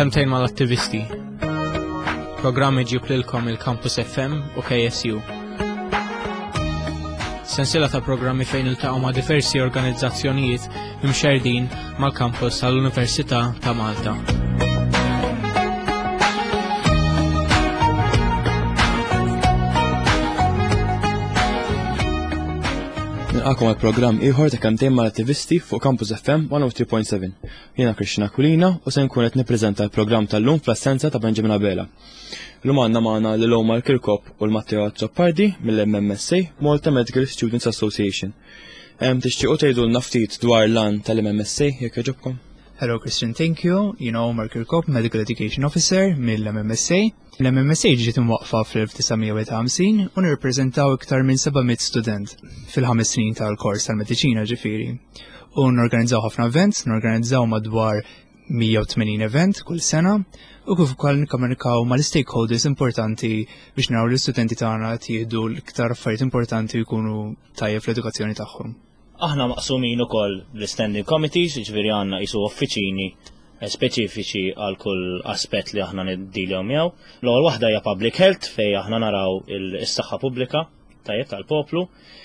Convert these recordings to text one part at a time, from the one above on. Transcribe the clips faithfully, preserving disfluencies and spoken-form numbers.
Kelmtejn mal-attivisti. Programm iġib lilkom il-Campus F M u K S U. Sensiela ta' programmi fejn iltaqgħu ma' diversi organizzazzjonijiet imxerdin mal-kampus tal-Università ta' Malta. Nilqakom għal programm ieħor ta' Kelmtejn mal-attivisti fuq Campus F M mija u tlieta punt seba'. Jiena Krishna Kulina u se nkun qed nippreżenta l-programm tal-lum fl-assenza ta' Benjamin Abela. Illum għandna magħna lil Omar Kirkop u l-Matteo Azzopardi mill-M M S A, Malta Medical Students Association. Em tixtiequ tgħidulna ftit dwar l-għan tal-M M S A, jekk jogħġobkom? Hello Christian, thank you. Jiena Omar Kirkop, Medical Education Officer mill-M M S A. L-M M S A ġiet imwaqfa fl-elf disa' mija u ħamsin u nirrepreżentaw iktar minn seba' mitt student fil-ħames snin tal-kors tal-mediċina ġifieri. U norganizzaw ħafna events, norganizzaw madwar mija u tmenin event kull sena u kif ukoll nikkomunikaw mal-stakeholders importanti biex naraw l-istudenti tagħna jieħdu l-iktar affarijiet importanti u jkunu tajjeb fl-edukazzjoni tagħhom. Aħna maqsumin ukoll l-standing committees, ġifieri għandna qisu uffiċini eh, speċifiċi għal kull aspett li aħna niddiljaw miegħu. L-ewwel waħda hija public health, fejn aħna naraw is-saħħa pubblika tajjeb tal-poplu.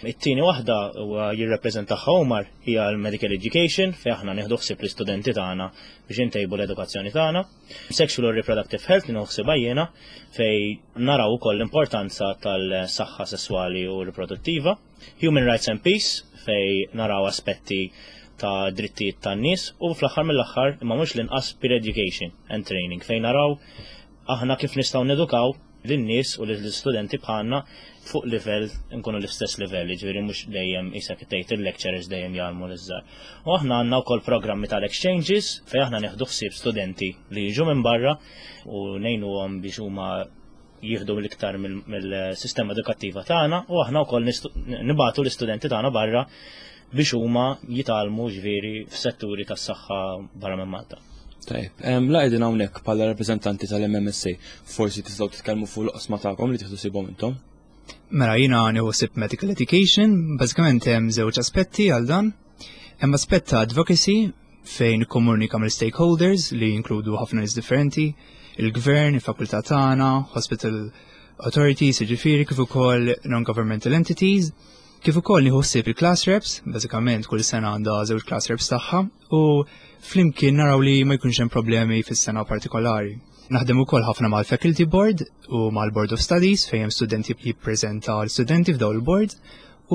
It-tieni waħda huwa jirrepreżentaha Omar, hija l-medical education, fejn aħna nieħdu ħsieb l-istudenti tagħna biex intejbu l-edukazzjoni tagħna. Sexual or reproductive health li nieħu ħsiebha jiena, fejn naraw ukoll l-importanza tal-saħħa sesswali u riproduttiva. Human rights and peace, fejn naraw aspetti ta' drittijiet tan-nies, u fl-aħħar mill-aħħar, imma mhux l-inqas, peer education and training, fejn naraw aħna kif nistgħu nedukaw lin-nies u lill-istudenti bħalna fuq livell, nkunu l-istess livell, ġifieri mhux dejjem isek tgħid il-lecturers dejjem jgħallmu l-iżgħar. U aħna għandna wkoll programmi tal-exchanges, fejn aħna nieħdu ħsieb studenti li jiġu minn barra u ngħinuhom biex huma jieħdu l-iktar mill-sistema edukattiva tagħna, u aħna wkoll nibagħtu l-istudenti tagħna barra biex huma jitgħallmu, ġifieri f'setturi tas-saħħa barra minn Malta. Tajjeb, la qegħdin hawnhekk bħala rappreżentanti tal-M M S A, forsi tistgħu titkellmu fuq l-oqsma tagħkom li tieħdu ħsiebhom intom? Mela, jiena nieħu ħsieb medical education, bażikament hemm żewġ aspetti għal dan. Hemm aspett ta' advocacy, fejn komunika mill-stakeholders li jinkludu ħafna nies differenti, il-gvern, il-fakultà tagħna, hospital authorities, jiġifieri kif ukoll non-governmental entities, kif ukoll nieħu ħsieb il-class reps. Bażikament kull sena għandha żewġ class reps tagħha u flimkien naraw li ma jkunx hemm problemi fis-sena partikolari. Naħdem ukoll ħafna mal-Faculty Board u mal-Board of Studies, fejn hemm studenti jippreżenta l-studenti f'dawn il-board,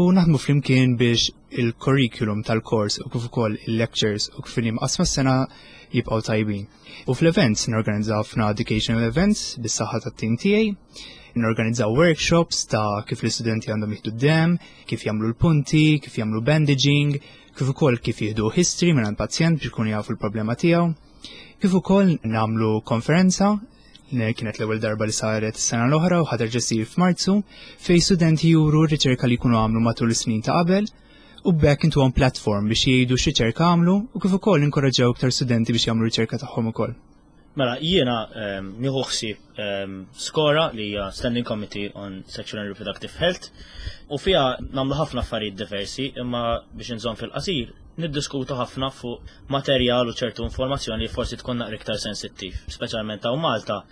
u naħdmu flimkien biex il-curriculum tal-kors u kif ukoll il-lectures u kif imqassma s-sena jibqgħu tajbin. U fl-events norganizzaw ħafna educational events bis-saħħa tat-tim tiegħi, norganizzaw workshops ta' kif l-istudenti għandhom jieħdu d-dem, kif jagħmlu l-punti, kif jagħmlu bandaging, kif ukoll kif jieħdu history minn pazjent biex ikunu jafu l-problema tiegħu. Kif ukoll nagħmlu konferenza li kienet l-ewwel darba li saret is-sena l-oħra u ħa terġa' ssir f'Marzu, fejn studenti juru r-riċerka li jkunu għamlu matul is-snin ta' qabel u b'hekk intuhom platform biex jgħidu x'riċerka għamlu u kif ukoll inkoraġġew iktar studenti biex jagħmlu riċerka tagħhom ukoll. Mela, jiena um, nieħu ħsieb um, SCORA, li hija Standing Committee on Sexual and Reproductive Health, u fiha nagħmlu ħafna affarijiet diversi, imma biex inżomm fil-qasir, niddiskutu ħafna fuq materjal u ċertu informazzjoni li forsi tkun naqra iktar sensittiv, speċjalment hawn Malta,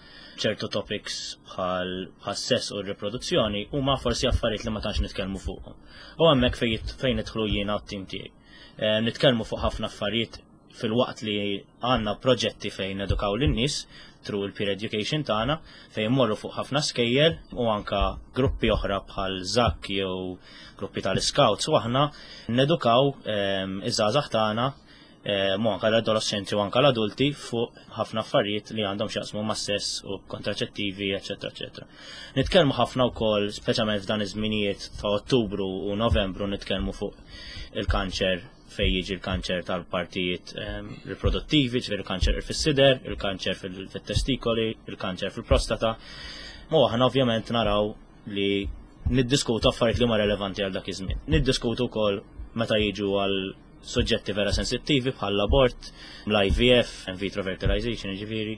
ċertu topics bħal sess u riproduzzjoni huma forsi affarijiet li ma tantx nitkellmu fuqhom. U hemmhekk fejn nidħlu jiena u t-tim tiegħi. Nitkellmu fuq ħafna affarijiet filwaqt li għandna proġetti fejn edukaw lin-nies through il-peer education tagħna, fejn morru fuq ħafna skejjel u anka gruppi oħra bħal ZAC jew gruppi tal-scouts, u aħna nedukaw iż-żgħażagħ tagħna mu anka l-adolescenti u anka l-adulti fuq ħafna affarijiet li għandhom x'jaqsmu ma' sess u kontraċettivi, eċetera, eċetera. Nitkellmu ħafna wkoll, speċjalment f'dan iż-żminijiet ta' Ottubru u Novembru, nitkellmu fuq il-kanċer, fejn jiġi l-kanċer tal-partijiet um, riproduttivi, ġifieri il-kanċer fis-sider, il-kanċer fil-testikoli, il-kanċer fil-prostata. U aħna ovvjament naraw li niddiskutu affarijiet li huma relevanti għal dak iż-żmien. Niddiskutu wkoll meta jiġu għal suġġetti vera sensittivi bħal l-abort, l-I V F, in vitro fertilization, ġifieri,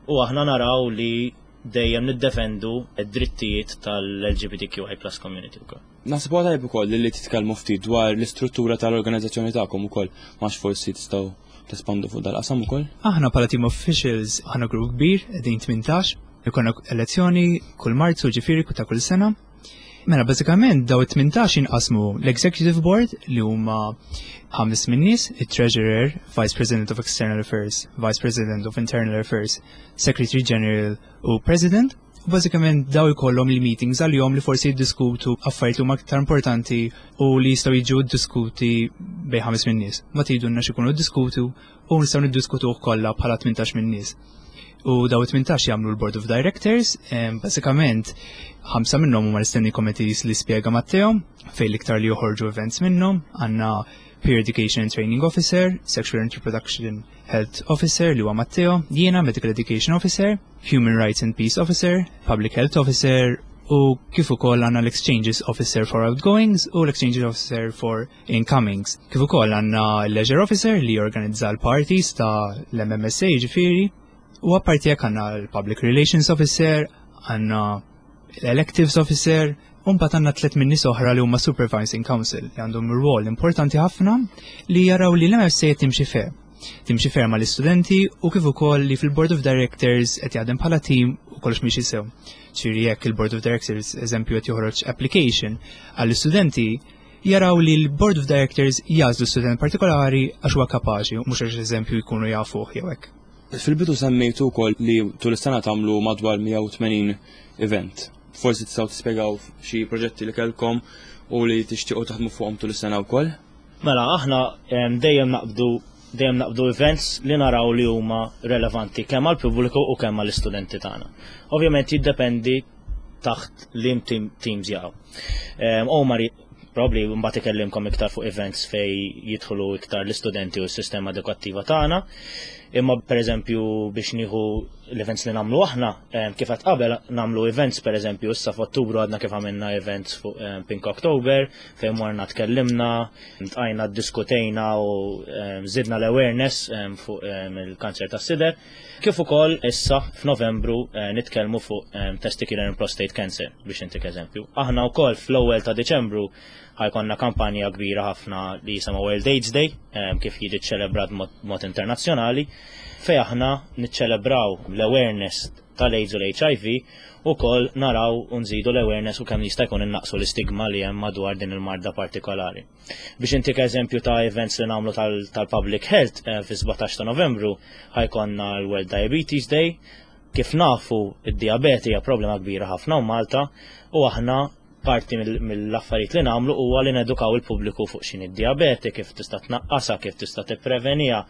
u aħna naraw li dejjem niddefendu id-drittijiet tal-L G B T Q I plus community wkoll. Naħseb huwa tajjeb ukoll li titkellmu ftit dwar l-istruttura tal-organizzazzjoni tagħkom ukoll, max forsi tistgħu tespandu fuq dal-qasam ukoll? Aħna bħala team officials aħna grupp kbir, qegħdin tmintax, ikollna elezzjoni kull Marzu, ġifieri ta' kull sena. Mela bażikament daw it-tmintax jinqasmu l-Executive Board li huma ħames min-nies, it-Treasurer, Vice President of External Affairs, Vice President of Internal Affairs, Secretary General u President. U bażikament daw ikollhom li meetings għal-jom li forsi jiddiskutu affarijiet li huma aktar importanti u li jistgħu jiġu ddiskuti bejn ħames min-nies. Ma tgħidulna x'ikunu ddiskutu u nistgħu niddiskutuh kollha bħala tmintax min-nies. U daw it-tmintax jagħmlu l-Board of Directors, em, bażikament ħamsa minnhom huma l-standing committees li spjega Matteo, fejn l-iktar li joħorġu events minnhom, għandna Peer Education and Training Officer, Sexual and Reproduction Health Officer li huwa Matteo, jiena Medical Education Officer, Human Rights and Peace Officer, Public Health Officer u kif ukoll għandna l-Exchanges Officer for Outgoings u l-Exchanges Officer for Incomings. Kif ukoll għandna l-Leisure Officer li jorganizza l-parties ta' l-M M S A ġifieri, u apparti hekk għandna l-Public Relations Officer, għandna l-Electives Officer, u mbagħad għandna tliet min-nies oħra li huma Supervising Council li għandhom rwol importanti ħafna li jaraw li l-M M S A timxi fair. Timxi fair mal-istudenti u kif ukoll li fil-Board of Directors qed jaħdem bħala team u kollox miexi sew. Ġifieri jekk il-Board of Directors, eżempju, qed joħroġ application għall-istudenti, jaraw li l-Board of Directors jagħżlu student partikolari għax huwa kapaċi u mhux għax, eżempju, jkunu jafuh jew hekk. Fil-bidu semmejtu wkoll li tul is-sena tagħmlu madwar mija u tmenin event. Forsi tistgħu tispjegaw xi proġetti li kellkom u li tixtiequ taħdmu fuqhom tul is-sena wkoll? Mela, aħna em, dejjem naqbdu dejjem naqbdu events li naraw li huma relevanti kemm għal pubbliku u kemm għall istudenti tagħna. Ovvjament jiddependi taħt liem team, teams jaqgħu. Um, Omar probably mbagħad ikellimkom iktar fuq events fej jidħlu iktar l-istudenti u s-sistema edukattiva tagħna. Imma pereżempju biex nieħu l-events li nagħmlu aħna, em, kif qed qabel nagħmlu events, pereżempju issa f'Ottubru għadna kif għamilna events fuq em, Pink October fejn morna, tkellimna, tqajna, ddiskutejna u em, żidna l-awareness em, fuq em, il-kanċer tas-sider. Kif ukoll issa f'Novembru eh, nitkellmu fuq em, testicular and prostate cancer, biex intik eżempju. Aħna wkoll fl-ewwel ta' Diċembru ħa jkollna kampanja kbira ħafna li jisimha World AIDS Day, em, kif jiġi ċelebrat mod, mod internazzjonali, fej aħna niċċelebraw l-awareness tal-AIDS u l-H I V u kol naraw u nżidu l-awareness u kemm jista' jkun innaqsu l-istigma li hemm madwar din il-marda partikolari. Biex intik eżempju ta' events li nagħmlu tal- tal-public health, eh, fi sbatax ta' Novembru ħa jkollna l-World Diabetes Day. Kif nafu, id-diabete hija problema kbira ħafna u Malta u aħna parti mill- mill-affarijiet li nagħmlu huwa li nedukaw il-pubbliku fuq x'inhi d-diabete, kif tista' tnaqqasha, kif tista' tippreveniha.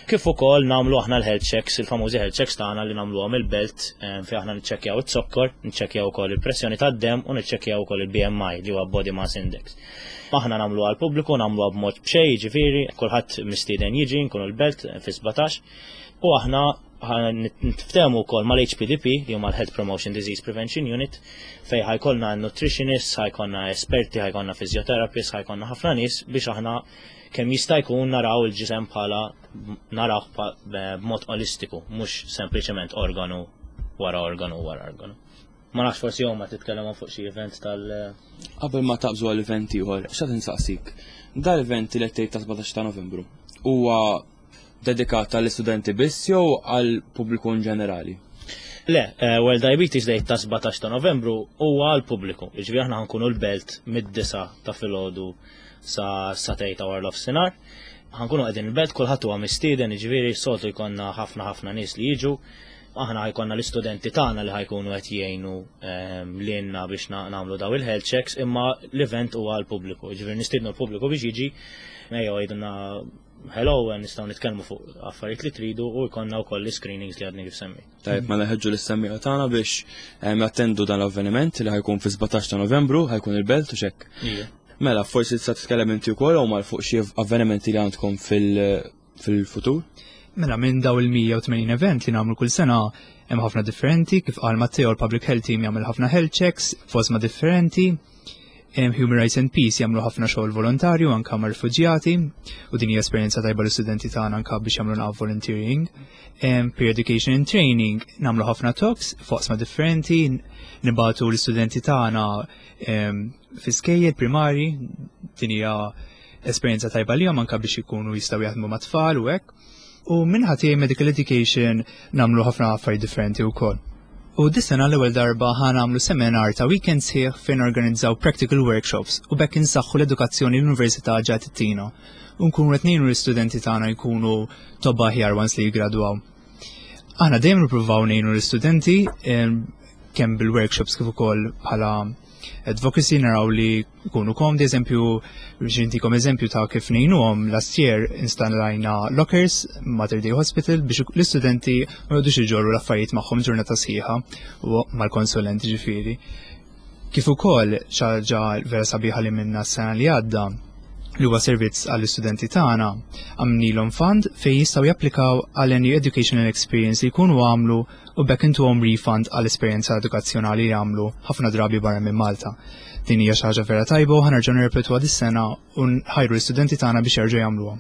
Kif ukoll nagħmlu aħna l-health checks, il-famużi health checks tagħna li nagħmluhom il-Belt, eh, fejn aħna niċċekkjaw iz-zokkor, niċċekkjaw ukoll il-pressjoni tad-dem u niċċekkjaw ukoll il-B M I li huwa Body Mass Index. Aħna nagħmlu għall-pubbliku, nagħmluha b'mod b'xejn, ġifieri, kulħadd mistieden jiġi, nkunu l-Belt eh, fi sbatax. U aħna niftehmu wkoll mal-H P D P li huma l-Health Promotion Disease Prevention Unit, fej ħa jkollna nutritionists, ħa jkollna esperti, ħa jkollna physiotherapists, ħa jkollna ħafna nies biex aħna kemm jista' jkun naraw il-ġisem bħala naraw b'mod olistiku, mhux sempliċement organu wara organu wara organu. Ma nafx, forsi huma titkellem fuq xi event tal- Qabel ma taqbżu għall-event ieħor, x'qed insaqsik. Dal-event li qed tgħid ta' sbatax ta' Novembru huwa dedikat għall-istudenti biss jew għall pubbliku in ġenerali? Le, eh, World Diabetes Day ta' sbatax ta' Novembru huwa għal pubbliku. Jiġifieri aħna ħa nkunu l-Belt mid-disgħa ta' filgħodu sa sagħtejn ta' wara nofsinhar. Ħa nkunu qegħdin il-Belt, kulħadd huwa mistieden, jiġifieri soltu jkollna ħafna ħafna nies li jiġu. Aħna ħa jkollna l-istudenti tagħna li ħa jkunu qed jgħinu ehm, lilna biex nagħmlu daw il-health checks, imma l-event huwa għal pubbliku. Jiġifieri nistiednu l-pubbliku biex jiġi, ejjew għidulna hello, nistgħu nitkellmu fuq affarijiet li tridu u jkollna wkoll l-screenings li għadni kif semmi. Tajjeb, mela ħeġġu lis-semmiegħa tagħna biex ehm, jattendu dan l-avveniment li ħa jkun fi sbatax ta' Novembru, ħa jkun il-Belt u xek. Mela, forsi tista' titkellem inti wkoll u mal fuq xi avvenimenti li għandkom fil-futur? Mela minn daw il-mija u tmenin event li nagħmlu kull sena hemm ħafna differenti, kif qal Matteo, l-Public Health Team jagħmel ħafna health checks f'oqsma differenti. Human Rights and Peace jagħmlu ħafna xogħol volontarju anka ma' rifuġjati u din hija esperjenza tajba l-istudenti tagħna anka biex jagħmlu naqra volunteering. Peer Education and Training nagħmlu ħafna talks f'oqsma differenti, nibagħtu l-istudenti tagħna fi skejjel primari, din hija esperjenza tajba li anka biex ikunu jistgħu jaħdmu ma' tfal u hekk. U min-naħa tiegħi Medical Education nagħmlu ħafna affarijiet differenti wkoll. U dis-sena l-ewwel darba ħa nagħmlu seminar ta' weekend sħiħ fejn organizzaw practical workshops u b'hekk insaħħu l-edukazzjoni l-Università ġa ttina. U nkunu qed ngħinu l-istudenti tagħna jkunu tobba aħjar once li jigradwaw. Aħna dejjem nippruvaw ngħinu l-istudenti kemm bil-workshops kif ukoll bħala advocacy, naraw li jkunu komdi. Eżempju, biex intikom eżempju ta' kif ngħinuhom, last year installajna lockers Mater Dei Hospital biex l-istudenti ma jgħodux iġorru l-affarijiet magħhom ġurnata sħiħa u mal-konsulenti ġifieri. Kif ukoll ħaġa vera sabiħa li minna s-sena li għadda, li huwa servizz għall-istudenti tagħna, għamilnielhom fund fejn jistgħu japplikaw għal any educational experience li jkunu għamlu u b'hekk intuhom refund għall esperjenza edukazzjonali li għamlu ħafna drabi barra minn Malta. Din hija xi ħaġa vera tajba u ħa nerġgħu nirrepetuha dis-sena u nħajru l-istudenti tagħna biex jerġgħu jagħmluha.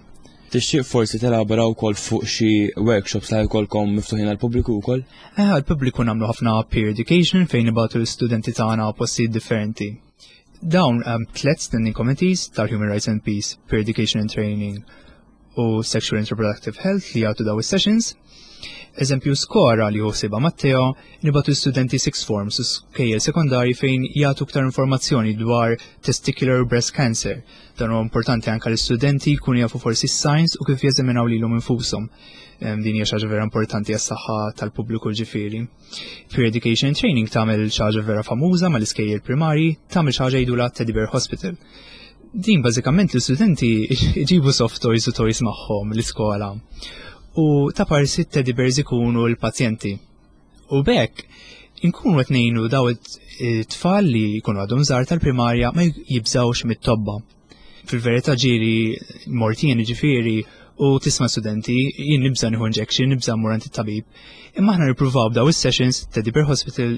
Tixtieq forsi telabora wkoll fuq xi workshops li jkollkom miftuħin għall-pubbliku wkoll? Eh, għall-pubbliku nagħmlu ħafna peer education fejn nibagħtu l-istudenti tagħna postijiet differenti. Dawn um, tlet standing committees tal-Human Rights and Peace, Peer Education and Training u Sexual and Reproductive Health li jagħtu daw is-sessions. Eżempju, SCORA li ħsiebha Matteo, nibagħtu studenti sixth forms u skejjel sekondari fejn jagħtu iktar informazzjoni dwar testicular breast cancer. Dan huwa importanti anke l-istudenti jkunu jafu forsi science u kif jeżaminaw lilhom infushom. Din hija xi ħaġa vera importanti għas-saħħa tal-pubbliku ġifieri. Peer Education Training tagħmel xi ħaġa vera famuża mal-iskejjel primari, tagħmel xi ħaġa jgħidulha Teddy Bear Hospital. Din bażikament l-istudenti jġibu soft toys u toys magħhom l-iskola. U ta' parsi teddy bears ikunu l-pazjenti. U b'hekk inkunu qed ngħinu daw it-tfal li jkunu għadhom żgħar tal-primarja ma jibżawx mit-tobba. Fil-verità ġieli mort jien ġifieri u tisma' studenti: "Jien nibża' nieħu injection, nibża' mmur għand it-tabib." Imma aħna nippruvaw b'daw is-sessions Teddy Bear Hospital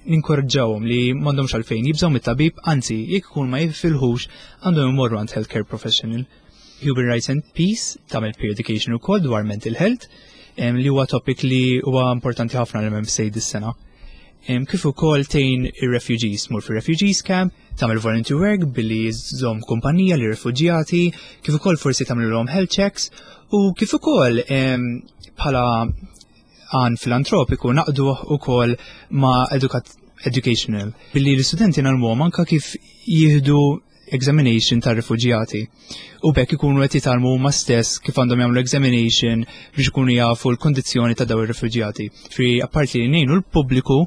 ninkoraġġawhom li m'għandhomx għalfejn jibżgħu mit-tabib, anzi, jekk ikun ma jifilħux, għandhom imorru għand healthcare professional. Human Rights and Peace tagħmel peer education ukoll dwar mental health, li huwa topic li huwa importanti ħafna l-M M S A dis-sena. Kif ukoll tgħin ir-refugees, mur fir-refugees camp, tagħmel volunteer work billi żżomm kumpanija li refuġjati, kif ukoll forsi tagħmilhom health checks u kif ukoll bħala għan filantropiku naqdu ukoll ma' educational billi l-istudenti ngħallmuhom anka kif jieħdu examination ta' rifuġjati. U b'hekk ikunu qed jitgħallmu huma stess kif għandhom jagħmlu examination biex ikunu jafu l-kondizzjoni ta' daw ir-rifuġjati. Fi apparti li ngħinu l-pubbliku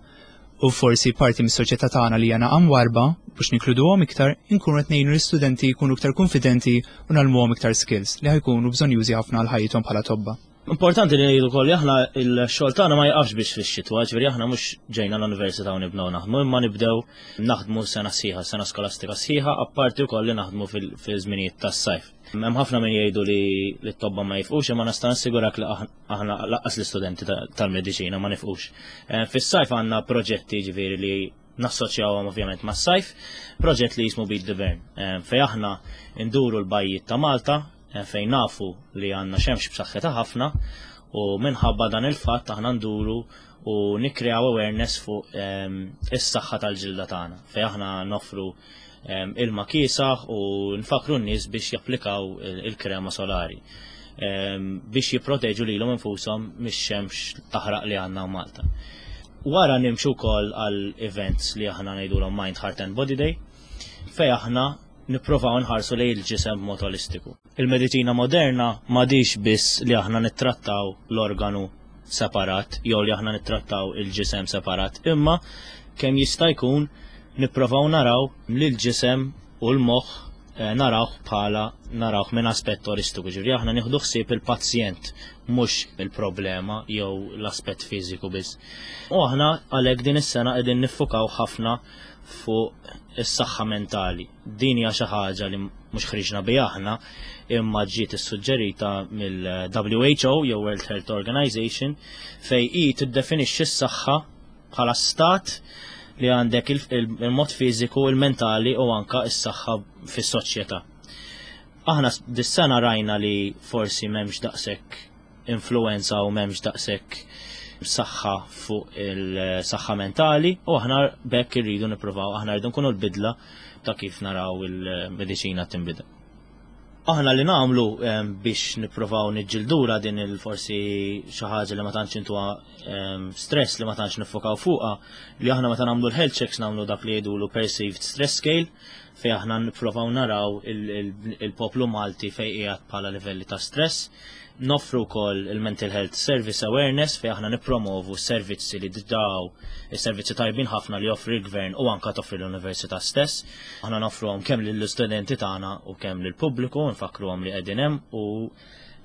u forsi parti mis-soċjetà tagħna li għandna warba biex ninkluduhom iktar, inkunu qed ngħinu l-istudenti jkunu iktar konfidenti u ngħallmuhom iktar skills li ħa jkunu bżonnjużi ħafna għal ħajjithom bħala tobba. Importanti li ngħidu wkoll, aħna il-xogħol tagħna ma jaqafx biex fix-xitwa, ġifieri aħna mhux ġejna l-università u nibdew naħdmu, imma nibdew naħdmu sena sħiħa, sena skolastika sħiħa, apparti wkoll li naħdmu fil-żminijiet tas-sajf. Hemm ħafna min jgħidu li t-tobba ma jifqux, imma nista' nassigurak li aħna lanqas l-istudenti tal-mediċina ma nifqux. Eh, fis-sajf għandna proġetti ġifieri li nassoċjawhom ovvjament mas-sajf, proġett li jismu Beat the Burn, eh, fejn aħna nduru l-bajjiet ta' Malta, eh, fejn nafu li għandna xemx b'saħħitha ħafna, u minħabba dan il-fatt aħna nduru u nikkreaw awareness fuq ehm, is-saħħa tal-ġilda tagħna, fejn aħna nofru ehm, ilma kiesaħ u nfakru n-nies biex japplikaw il-krema solari ehm, biex jipproteġu lilhom infushom mix-xemx taħraq li għandna Malta. Wara nimxu wkoll għal events li aħna ngħidulhom Mind, Heart and Body Day, fejn aħna nipprovaw nħarsu lejn il-ġisem b'mod holistiku. Il-mediċina moderna m'għadix biss li aħna nittrattaw l-organu separat jew li aħna nittrattaw il-ġisem separat, imma kemm jista' jkun nipprovaw naraw li l-ġisem u l-moħħ eh, narawh bħala narawh minn aspett holistiku. Ġifieri aħna nieħdu ħsieb il-pazjent, mhux il-problema jew l-aspett fiżiku biss. U aħna għalhekk din is-sena qegħdin niffukaw ħafna fuq is-saħħa mentali. Din hija xi ħaġa li mhux ħriġna biha aħna, imma ġiet issuġġerita mill-W H O jew World Health Organization, fejn hi tiddefinixxi s-saħħa bħala stat li għandek il-mod fiżiku, il-mentali u anka s-saħħa fis-soċjetà. Aħna dis-sena rajna li forsi m'hemmx daqshekk influenza u m'hemmx daqshekk saħħa fuq il-saħħa mentali u aħna b'hekk irridu nippruvaw, aħna rridu nkunu l-bidla ta' kif naraw il-mediċina tinbidel. Aħna li nagħmlu biex nippruvaw niġġildura din il-forsi xi ħaġa li ma tantx intuha stress, li ma tantx niffokaw fuqha, li aħna meta nagħmlu l-health checks nagħmlu dak li jgħidulu perceived stress scale, fejn aħna nippruvaw naraw il-poplu Malti fejn qiegħed bħala livelli ta' stress. Noffru wkoll il-Mental Health Service Awareness, fejn aħna nippromovu servizzi li daw is-servizzi tajbin ħafna li joffri l-gvern u anka toffri l-università stess. Aħna noffruhom kemm lill-istudenti tagħna u kemm lill-pubbliku, nfakruhom li qegħdin hemm u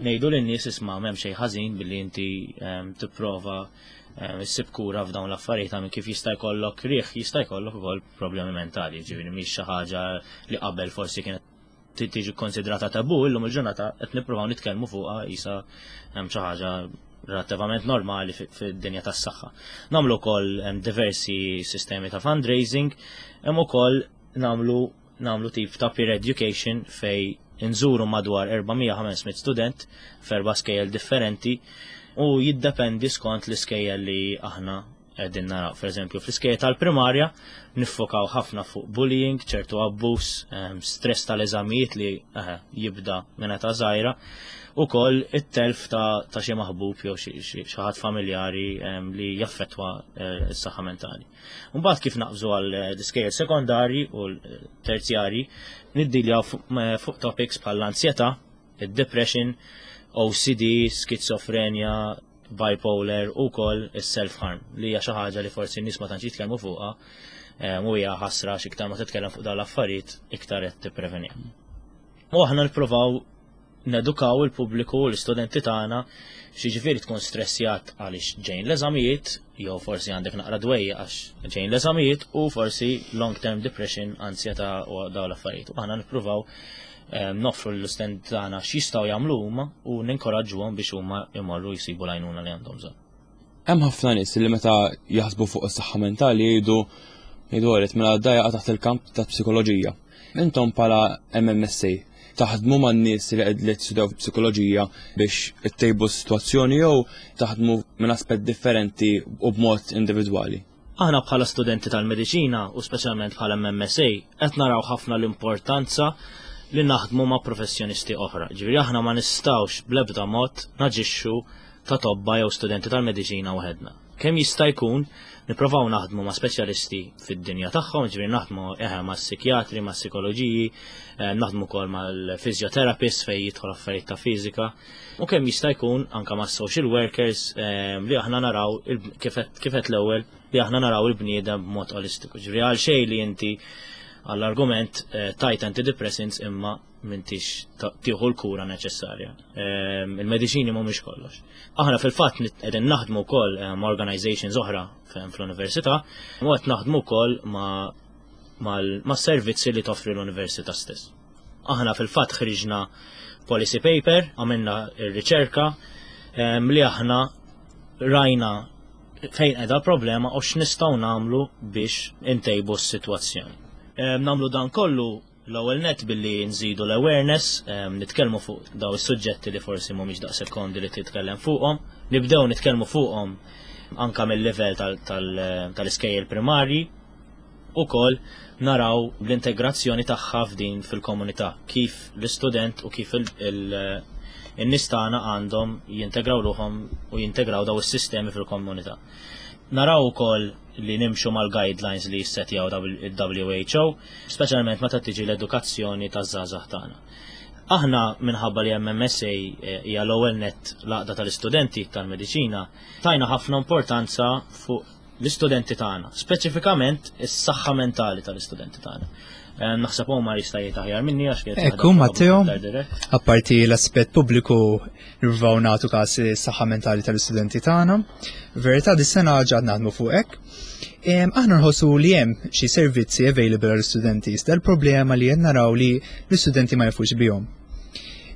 ngħidu lin-nies, isma', m'hemm xejn ħażin billi inti ehm, tipprova ehm, issib kura f'dawn l-affarijiet, minn kif jista' jkollok riħ, jista' jkollok ukoll problemi mentali, ġifieri mhix xi ħaġa li qabel forsi kienet tiġi konsidrata tabu, illum il-ġurnata qed nippruvaw nitkellmu fuqha qisha hemm xi ħaġa relattivament normali fid-dinja tas-saħħa. Nagħmlu wkoll diversi sistemi ta' fundraising, hemm ukoll nagħmlu nagħmlu tip ta' peer education fej nżuru madwar erba' mija ħames mitt student f'erba' skejjel differenti u jiddependi skont l-iskejjel li aħna qegħdin naraw. Per eżempju, fl-iskejjel tal-primarja niffokaw ħafna fuq bullying, ċertu abbuż, stress tal-eżamijiet li eh, jibda minn età żgħira, ukoll it-telf ta', ta xi maħbub jew xi ħadd familjari li jaffettwa eh, s-saħħa mentali. Mbagħad kif naqbżu għal eh, l-iskejjel sekondarji u l-terzjarji, niddiljaw fuq topics bħal l-ansjetà, id-depression, O C D, skizofrenja, bipolar u ukoll is-self-harm, li hija xi ħaġa li forsi n-nies ma tantx jitkellmu fuqha u hija ħasra, x'iktar ma titkellem fuq dawn l-affarijiet, iktar qed tippreveni. U aħna nippruvaw nedukaw il-pubbliku u l-istudenti tagħna x'jiġifieri tkun stressjat għaliex ġejn l-eżamijiet, jew forsi għandek naqra dwejja għax ġejn l-eżamijiet, u forsi long term depression, ansjetà u dawn l-affarijiet. U aħna nippruvaw noffru l-istudenti tagħna x'jistgħu jagħmlu huma u ninkoraġġuhom biex huma jmorru jsibu l-għajnuna li għandhom bżonn. Hemm ħafna nies li meta jaħsbu fuq is-saħħa mentali jgħidu jgħidu għalet mela da jaqa' taħt il-kamp ta' psikoloġija. Intom bħala M M S A taħdmu man nies li qed li tistudjaw psikoloġija biex ittejbu s-sitwazzjoni jew taħdmu minn aspett differenti u b'mod individwali? Aħna bħala studenti tal-mediċina u speċjalment bħala M M S A qed naraw ħafna l-importanza li naħdmu ma' professjonisti oħra. Ġifieri aħna ma nistgħux bl-ebda mod naġixxu ta' tobba jew studenti tal-mediċina waħedna. Kemm jista' jkun nipprovaw naħdmu ma' speċjalisti fid-dinja tagħhom, ġifieri naħdmu eħe ma' psikjatri, ma' psikoloġiji, eh, naħdmu wkoll mal-physiotherapist fejn jidħol affarijiet ta' fiżika. U kemm jista' jkun anka ma' social workers eh, li aħna naraw kif qed l-ewwel li aħna naraw il-bniedem b'mod olistiku. Ġifieri għal xejn li inti għall-argument eh, tajt antidepressants imma m'intix tieħu l-kura neċessarja. Ehm, il-mediċini mhumiex kollox. Aħna fil-fatt qegħdin naħdmu wkoll eh, ma' organizations oħra fl-università u qed naħdmu wkoll ma' servizzi li toffri l-università stess. Aħna fil-fatt ħriġna policy paper, għamilna r-riċerka ehm, li aħna rajna fejn qiegħda problema u x'nistgħu nagħmlu biex intejbu s-sitwazzjoni. Ehm, nagħmlu dan kollu l-ewwel net billi nżidu l-awareness, nitkellmu fuq daw is-suġġetti li forsi mhumiex daqshekk komdi li titkellem fuqhom, nibdew nitkellmu fuqhom anka mill-livell tal-iskejjel primarji, ukoll naraw l-integrazzjoni tagħha f'din fil-komunità, kif l-istudent u kif in-nies tagħna għandhom jintegraw ruħhom u jintegraw daw is-sistemi fil-komunità. Naraw ukoll li nimxu mal-guidelines li jissetjaw il-W H O, speċjalment meta tiġi l-edukazzjoni taż-żgħażagħ tagħna. Aħna, minħabba li M M S A eh, hija l-ewwel net l-għaqda tal-istudenti tal-mediċina, tajna ħafna importanza fuq l-istudenti tagħna, speċifikament is-saħħa mentali tal-istudenti tagħna. Eh, Naħseb huma jista' jgħid aħjar minni għax kienet Ekku, Matteo, apparti l-aspett pubbliku, nirvaw nagħtu każ is-saħħa mentali tal-istudenti tagħna. Verità, dis-sena ġad naħdmu fuq hekk. Em, Aħna nħossu li hemm xi servizzi available għall-istudenti, iżda l-problema li qed naraw li l-istudenti ma jafux bihom.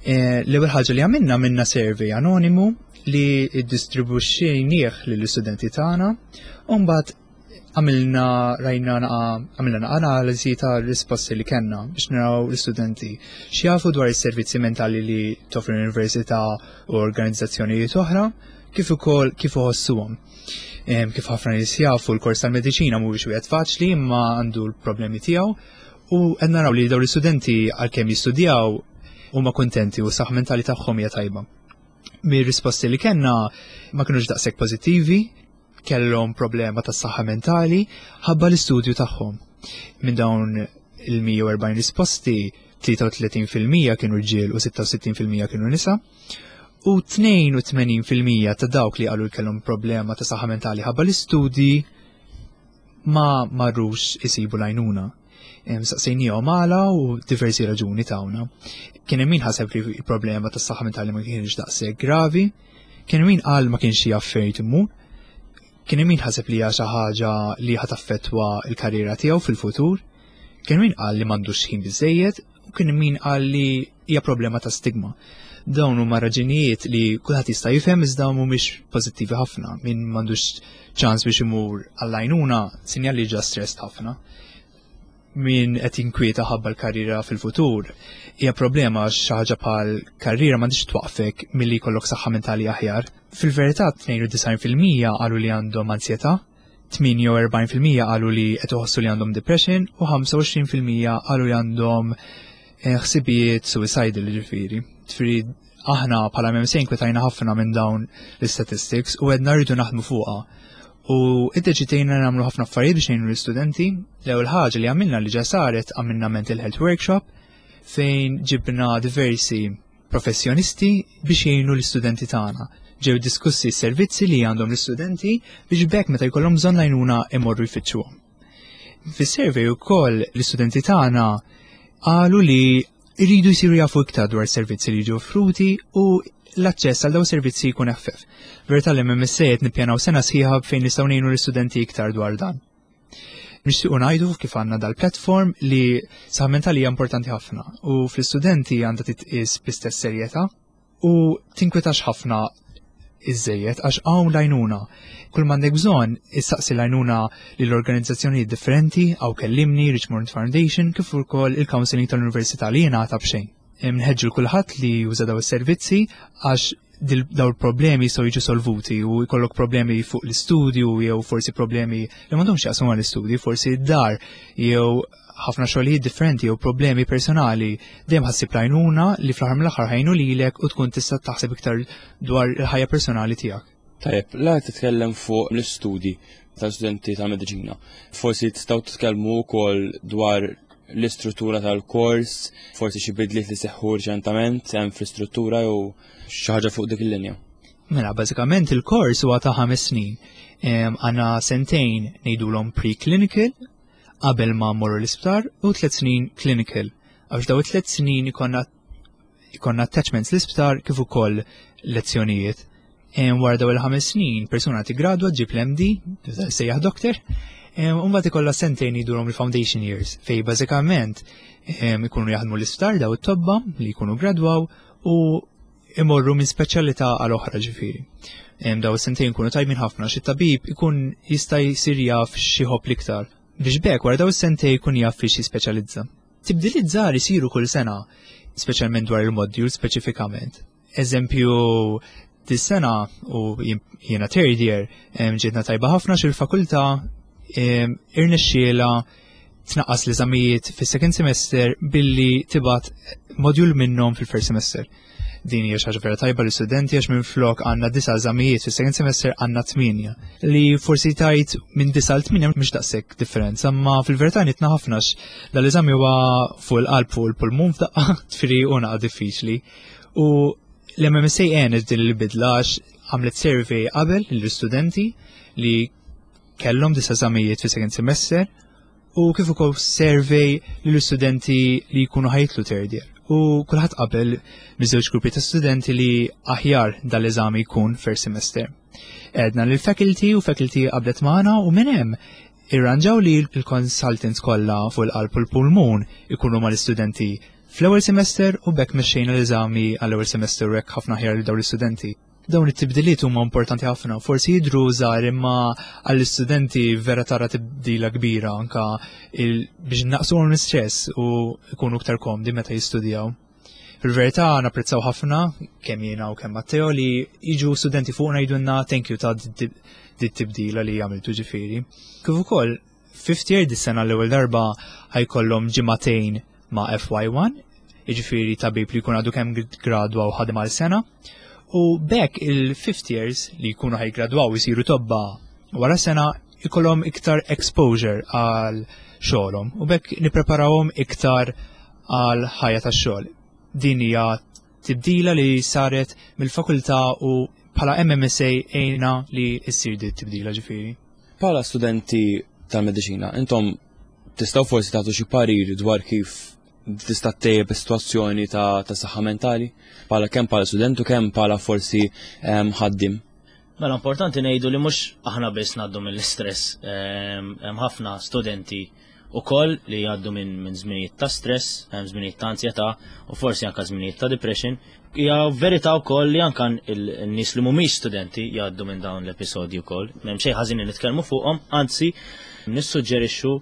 Eh, L-ewwel ħaġa li għamilna minna survey anonimu li iddistribuxxejnieh lill-istudenti tagħna u mbagħad għamilna rajna naqa- għamilna naqa analiżi ta' risposti li kellna biex naraw l-istudenti x'jafu dwar is-servizzi mentali li toffri l-università u organizzazzjonijiet oħra, kif ukoll kif iħossuhom. Em, Kif ħafna nies jafu, l-kors tal-mediċina mhuwiex wieħed faċli, imma għandu l-problemi tiegħu, u qed naraw li dawn l-istudenti, għalkemm jistudjaw huma kuntenti u s-saħħa mentali tagħhom hija tajba. Mir-risposti li kellna ma kinux daqshekk pożittivi, kellhom problema tas saħħa mentali ħabba l-istudju tagħhom. Minn dawn il-mija u erbgħin risposti, tlieta u tletin fil-mija kienu rġiel u sitta u sittin fil-mija kienu nisa. U tnejn u tmenin fil-mija ta' dawk li qalu li kellhom problema ta' saħħa mentali ħabba l-istudji ma marrux isibu l-għajnuna. Saqsejnihom għala u diversi raġuni tawna. Kien hemm min ħaseb li il-problema tas saħħa mentali ma kienx daqshekk gravi, kien hemm min qal ma kienx jaf fejn imur, kien hemm min ħaseb li hija xi ħaġa li ħa taffettwa l-karriera tiegħu fil-futur, kien hemm min qal li m'għandux ħin biżejjed u kien hemm min qal li hija problema ta' stigma. Dawn huma raġunijiet li kulħadd jista' jifhem, iżda mhumiex pożittivi ħafna. Min m'għandux ċans biex imur għall-għajnuna, sinjal li ġa stressed ħafna. Min qed jinkwieta ħabba l-karriera fil-futur, hija problema għax xi ħaġa bħal karriera m'għandix twaqfek milli jkollok saħħa mentali aħjar. Fil-verità, tnejn u disgħin fil-mija qalu li għandhom ansjetà, tmienja u erbgħin fil-mija qalu li qed iħossu li għandhom depression u ħamsa u għoxrin fil-mija qalu li għandhom eh, ħsibijiet suicidal, ġifieri. Ġifieri aħna bħala M M S A inkwetajna ħafna minn dawn l-statistics u għedna rridu naħdmu fuqha. U iddeċidejna nagħmlu ħafna affarijiet biex ngħinu l-istudenti. L-ewwel ħaġa li għamilna, li ġa saret, għamilna mental health workshop fejn ġibna diversi professjonisti biex jgħinu l-istudenti tagħna. Ġew diskussi s-servizzi li għandhom l-istudenti biex b'hekk meta jkollhom bżonn l-għajnuna imorru jfittxuhom. Fis-survey ukoll l-istudenti tagħna qalu li jridu jsiru jafu iktar dwar servizzi li jiġu offruti u l-aċċess għal dawn servizzi jkun eħfef. Verità li M M S A qed nippjanaw sena sħiħa fejn nistgħu ngħinu l-istudenti iktar dwar dan. Nixtiequ ngħidu kif għandna dal-platform li saħħa mentali hija importanti ħafna u fl-istudenti għandha titqis bl-istess serjetà u tinkwetax ħafna iżejjed għax hawn l-għajnuna. Kull m'għandek bżonn issaqsi l-għajnuna lill-organizzazzjonijiet differenti, hawn Kellimni, Richmond Foundation, kif ukoll il-counseling tal-Università li jingħata b'xejn. Nħeġġu kulħadd li juża daw is-servizzi għax daw il-problemi jistgħu jiġu solvuti u jkollok problemi fuq l-istudju jew forsi problemi li m'għandhomx jaqsmu mal-istudju, forsi d-dar jew ħafna xogħlijiet differenti jew problemi personali, dejjem ħa ssib l-għajnuna li fl-aħħar mill-aħħar ħa jgħinu lilek u tkun tista' taħseb iktar dwar il-ħajja personali tiegħek. Tajjeb, la titkellem fuq l-istudji tal-studenti tal-mediċina. Forsi tistgħu titkellmu wkoll dwar l-istruttura tal-kors, forsi xi bidliet li seħħu riċentament hemm fl-istruttura jew xi ħaġa fuq dik il-linja. Mela, bażikament il-kors huwa ta' ħames snin. Għandna sentejn ngħidulhom pre-clinical qabel ma mmorru l-isptar u tliet snin clinical. Għax daw it-tliet snin ikonna ikonna attachments l-isptar kif ukoll lezzjonijiet. Wara daw il-ħames snin, persuna tigradwa, ġib l-M D, sejjaħ doctor, u mbagħad ikollha sentejn jgħidulhom il-foundation years, fej bażikament ikunu jaħdmu l-isptar daw it-tobba li jkunu gradwaw u imorru minn speċjalità għal oħra, ġifieri. Daw is-sentejn ikunu tajbin ħafna xi tabib ikun jista' jsir jaf x'iħobb l-iktar biex b'hekk wara daw is-sentejn jkun jaf fiex jispeċjalizza. Tibdiliet żgħar isiru kull sena, speċjalment dwar il-module speċifikament. Eżempju, dis-sena, u jiena third year, ġietna tajba ħafna xil-fakultà irnexxiela tnaqqas l-eżamijiet fis-second semester billi tibgħat module minnhom fil-first semester. Din hija xi ħaġa vera tajba l-istudenti għax minn flok għandna disa' eżamijiet fis-second semester għandna tmienja. Li forsi tajt minn disa' l tmienja mhux daqshekk differenza, ma fil-verità nitna ħafna dal-eżami huwa fuq il-qalb, fuq il-pulmun f'daqqa, tfiri u naqa diffiċli. U l-M M S A għenet din il-bidla għax għamlet survey qabel l-istudenti li kellhom disa' eżamijiet fi second semester u kif ukoll survey lill-istudenti li jkunu ħa jitilgħu third year. U kulħadd qabel miż-żewġ gruppi ta' studenti li aħjar dal-eżami jkun first semester. Għedna lil faculty u faculty qablet magħna u minn hemm irranġaw li l-consultants kollha fuq il-qalb u l-pulmun ikunu mal-istudenti fl-ewwel semester u b'hekk mexxejna l-eżami għall-ewwel semester u hekk ħafna aħjar li dawn l-istudenti. Dawn it-tibdiliet huma importanti ħafna, forsi jidru żgħar imma għall-istudenti vera tara tibdila kbira anka biex naqsu l-istress u jkunu iktar komdi meta jistudjaw. Fil-verità napprezzaw ħafna kemm jiena u kemm Matteo li jiġu studenti fuqna jgħidulna thank you ta' dit tibdila li għamiltu, ġifieri. Kif ukoll fifth year dis-sena l-ewwel darba ħa jkollhom ġimagħtejn ma' F Y one. Jiġifieri tabib li jkun għadu kemm gradwa u ħadem għal sena. U b'hekk il-fifth years li jkunu ħa jiggradwaw jisiru tobba wara sena ikollhom iktar exposure għal xogħolhom u b'hekk nippreparawhom iktar għal ħajja tax-xogħol. Din hija tibdila li saret mill-fakultà u bħala M M S A għinna li issir di tibdila ġifieri. Bħala studenti tal-mediċina, intom tistgħu forsi tagħtu xi parir dwar kif tista' ttejjeb is-sitwazzjoni ta' ta' saħħa mentali? Bħala kemm bħala student u kemm bħala forsi em, ħaddim. Mela, importanti ngħidu li mhux aħna biss ngħaddu mill-istress. Ehm, Hemm ħafna studenti ukoll li jgħaddu minn min żminijiet ta' stress, hemm żminijiet ta' ansjetà u forsi anke żminijiet ta' depression. Hija verità wkoll li anke n-nies li mhumiex studenti jgħaddu minn dawn l-episodji wkoll. M'hemm xejn ħażin li nitkellmu fuqhom, anzi nissuġġerixxu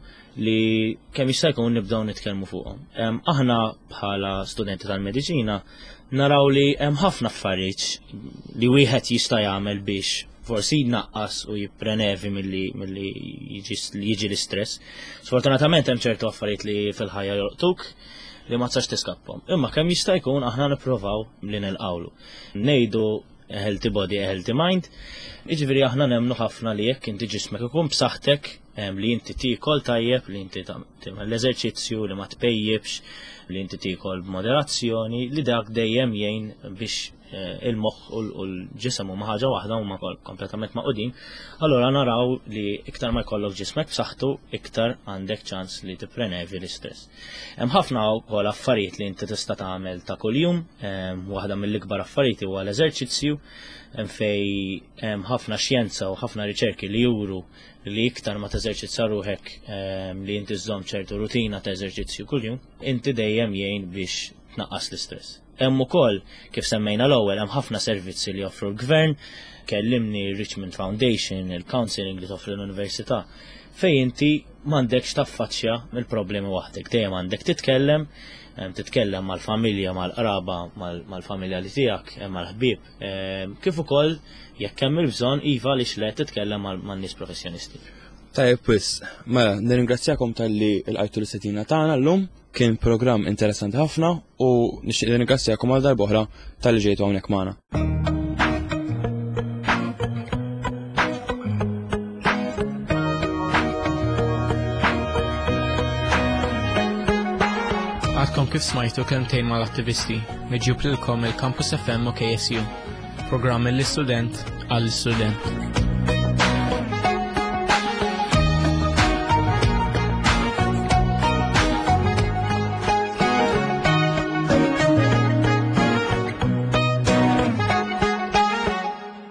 li kemm jista' jkun nibdew nitkellmu fuqhom. Em, Aħna bħala studenti tal-mediċina naraw li hemm ħafna affarijiet li wieħed jista' jagħmel biex forsi jnaqqas u jipprenevi milli milli jiġi jiġi l-istress. Sfortunatament hemm ċertu affarijiet li fil-ħajja jolqtuk li ma tistax tiskappahom. Imma kemm jista' jkun aħna nippruvaw li nilqawlu. Ngħidu a healthy body, a healthy mind. Jiġifieri aħna nemnu ħafna li jekk inti ġismek ikun b'saħħtek, em, li inti tiekol tajjeb, li inti tagħmel l-eżerċizzju, li ma tpejjibx, li inti tiekol b'moderazzjoni, li dak dejjem jgħin biex eh, il-moħħ u l-ġisem huma ħaġa waħda, huma kompletament magħqudin. Allora naraw li iktar ma jkollok ġismek b'saħħtu, iktar għandek ċans li tipprenevi l-istress. Hemm ħafna wkoll affarijiet li inti tista' tagħmel ta' kuljum, em, waħda mill-ikbar affarijiet huwa l-eżerċizzju, hemm fej hemm ħafna xjenza u ħafna riċerki li juru li iktar ma teżerċizza ruħek, em, li inti żżomm ċertu rutina ta' eżerċizzju kuljum, inti dejjem jgħin biex tnaqqas l-istress. Hemm ukoll, kif semmejna l-ewwel, hemm ħafna servizzi li joffru l-gvern, kellimni Richmond Foundation, il-counseling li toffri l-università, fej inti m'għandekx taffaċċja mill-problemi waħdek, dejjem għandek titkellem, em, titkellem mal-familja, mal-qraba, mal-familja li tiegħek, em, mal-ħbieb, em, kif ukoll jekk hemm il-bżonn iva li xle titkellem mal-nies professjonisti. Tajjeb wisq, mela, nirringrazzjakom talli lqajtu l-istedina tagħna llum, kien programm interessanti ħafna u nixtieq nirringrazzjakom għal darb'oħra talli ġejtu hawnhekk magħna. Għadkom kif smajtu Kelmtejn mal-Attivisti, miġjub lilkom il-Campus F M u K S U. Programm mill-istudent għall-istudent.